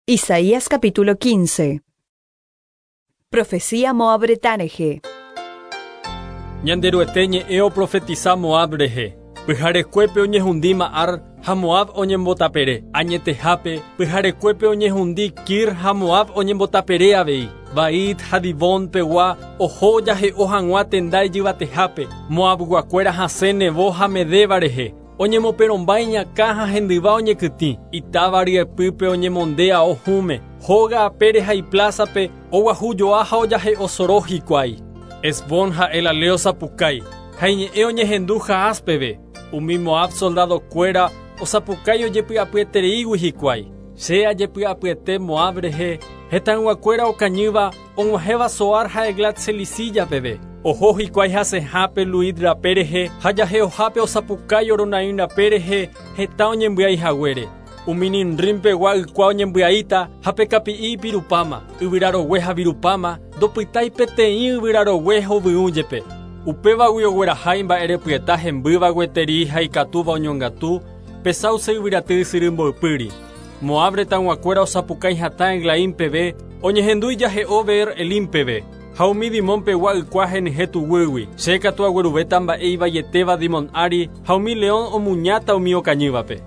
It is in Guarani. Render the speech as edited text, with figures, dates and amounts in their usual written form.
Isaías capítulo 15. Profecía Moab retã rehe. Ñanderuete ñe'ẽ oprofetisa Moab rehe. Pyharekuépe oñehundíma Ar ha Moab oñembotapere. Añetehápe, pyharekuépe oñehundi Kir ha Moab oñembotapere avei. Bait ha Dibón pegua oho ojahe'o hag̃ua tenda ijyvatehápe. Moabguakuéra hasẽ Nebo ha Medeba rehe. Oñemoperõmba iñakã ha hendyva oñekytĩ, itáva ryepýpe oñemonde ao hũme, hóga apére ha iplásape oguahu joa ha ojahe'o soro hikuái. Hesbón ha Elalé osapukái, ha iñe'ẽ oñehendu Jahaz peve. Umi Moab soldadokuéra osapukái ojepy'apyetereígui hikuái. Che ajepy'apyete Moab rehe, hetãyguakuéra okañýva Og̃uahẽva Zoar ha Eglat-Selisiyah peve, oho hikuái hasẽhápe Luhit rape rehe ha jahe'ohápe osapukái Horonaim rape rehe heta oñembyai haguére. Umi Nimrim pegua ykua oñembyaíta ha pe kapi'i ipirupáma, yvyra rogue ha virupáma, ndopytái peteĩ yvyra rogue hovyũ jepe. Upévagui ogueraha imba'erepyeta hembýva gueteri ha ikatúva oñongatu pe sáuse yvyraty ysyry mboypýri. Moab retãguakuéra osapukái hatã Eglaim peve, oñehendu ijahe'o Beer-Elim peve, ha umi Dimon pegua ykua henyhẽ tuguýgui. Che katu agueruvéta mba'e ivaietéva Dimon ári, ha umi león omuñáta umi okañývape.